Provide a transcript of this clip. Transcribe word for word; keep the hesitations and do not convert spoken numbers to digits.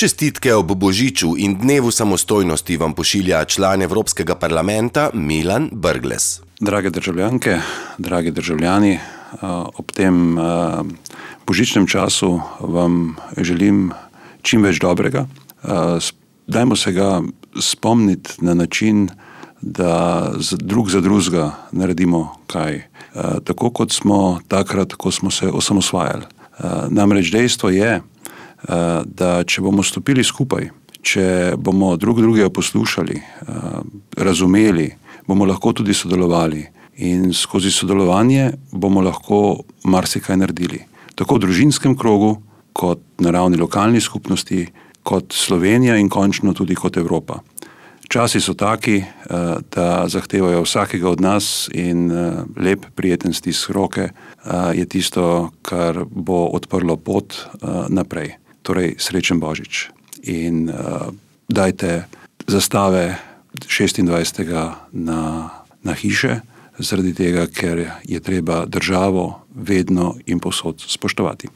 Čestitke ob Božiču in dnevu samostojnosti vam pošilja član Evropskega parlamenta Milan Brglez. Drage državljanke, dragi državljani, ob tem božičnem času vam želim čim več dobrega. Dajmo se ga spomniti na način, da drug za drugega naredimo kaj. Tako kot smo takrat, ko smo se osamosvajali. Namreč dejstvo je, da če bomo stopili skupaj, če bomo drug drugega poslušali, razumeli, bomo lahko tudi sodelovali in skozi sodelovanje bomo lahko marsikaj naredili. Tako v družinskem krogu, kot na ravni lokalni skupnosti, kot Slovenija in končno tudi kot Evropa. Časi so taki, da zahtevajo vsakega od nas in lep, prijeten stisk roke je tisto, kar bo odprlo pot naprej. Torej, srečen Božič. In dajte zastave šestindvajsetega na, na hiše, zaradi tega, ker je treba državo vedno in povsod spoštovati.